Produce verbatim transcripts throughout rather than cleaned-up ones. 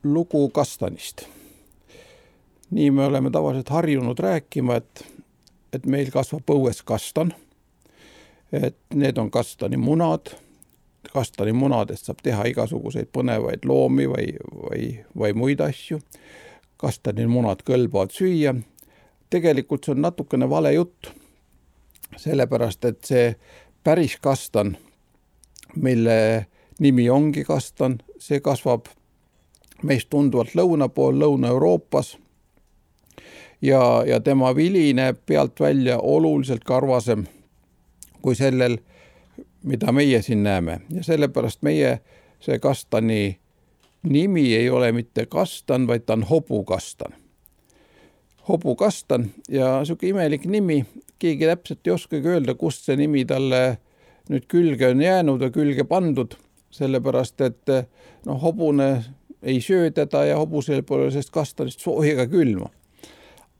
lugu kastanist. Nii me oleme tavaliselt harjunud rääkima, et, et meil kasvab õues kastan, et need on kastani munad, kastani munadest saab teha igasuguseid põnevaid loomi või, või, või muid asju. Kastani munad kõlbavad süüa. Tegelikult see on natukene vale jutt, sellepärast, et see päris kastan, mille nimi ongi kastan, see kasvab meist tunduvalt lõuna pool, Lõuna-Euroopas ja, ja tema vili näeb pealt välja oluliselt karvasem kui sellel, mida meie siin näeme. Ja sellepärast meie see kastani nimi ei ole mitte kastan, vaid ta on hobukastan. Hobukastan ja siuke imelik nimi, keegi täpselt ei oskagi öelda, kust see nimi talle nüüd külge on jäänud ja külge pandud, sellepärast, et no, hobune ei söö teda ja hobusel pole sellest kastanist sooja ega külma.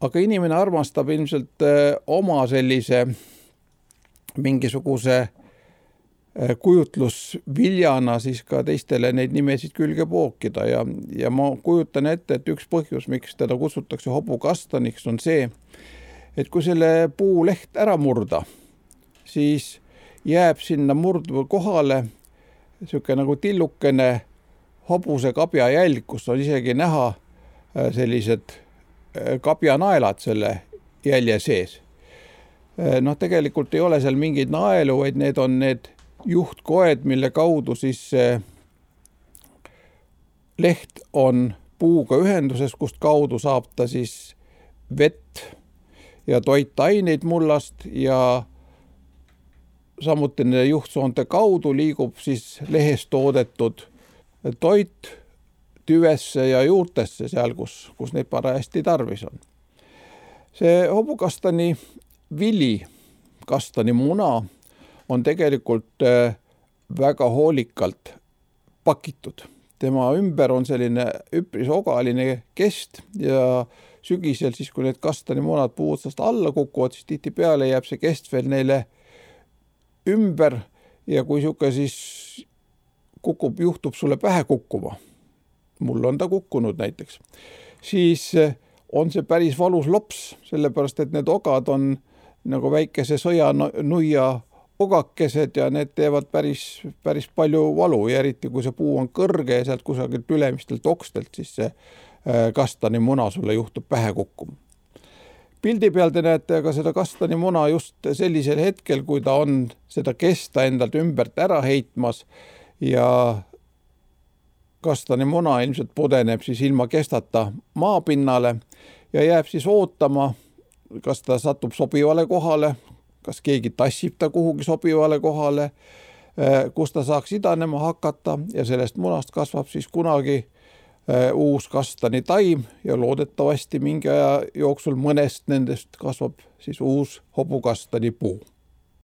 Aga inimene armastab ilmselt oma sellise mingisuguse kujutlusviljana siis ka teistele neid nimesid külge pookida ja, ja ma kujutan ette, et üks põhjus, miks teda kutsutakse hobukastaniks, on see, et kui selle puu leht ära murda, siis jääb sinna murduva kohale siuke nagu tillukene hobuse kabja jälg, kus on isegi näha sellised kabjanaelad selle jälje sees. Noh, tegelikult ei ole seal mingeid naelu, vaid need on need juhtkoed, mille kaudu siis leht on puuga ühenduses, kust kaudu saab ta siis vett ja toitaineid mullast ja samuti nende juhtsoonte kaudu liigub siis lehest toodetud toit tüvesse ja juurtesse seal, kus, kus neid parajasti tarvis on. See hobukastani vili, kastani muna on tegelikult väga hoolikalt pakitud. Tema ümber on selline üpris ogaline kest ja sügisel siis, kui need kastani munad puu otsast alla kukuvad, siis tihti peale jääb see kest veel neile ümber ja kui siuke siis kukub, juhtub sulle pähe kukkuma, mul on ta kukkunud näiteks, siis on see päris valus lops, sellepärast, et need ogad on nagu väikese sõjanuia ogakesed ja need teevad päris, päris palju valu ja eriti kui see puu on kõrge ja sealt kusagilt ülemistelt okstelt, siis see kastani muna sulle juhtub pähe kukkuma. Pildi peal te näete aga seda kastani muna just sellisel hetkel, kui ta on seda kesta endalt ümbert ära heitmas ja kastani muna ilmselt pudeneb siis ilma kestata maapinnale ja jääb siis ootama, kas ta satub sobivale kohale, kas keegi tassib ta kuhugi sobivale kohale, kus ta saaks idanema hakata ja sellest munast kasvab siis kunagi uus kastani taim ja loodetavasti mingi aja jooksul mõnest nendest kasvab siis uus hobukastani puu.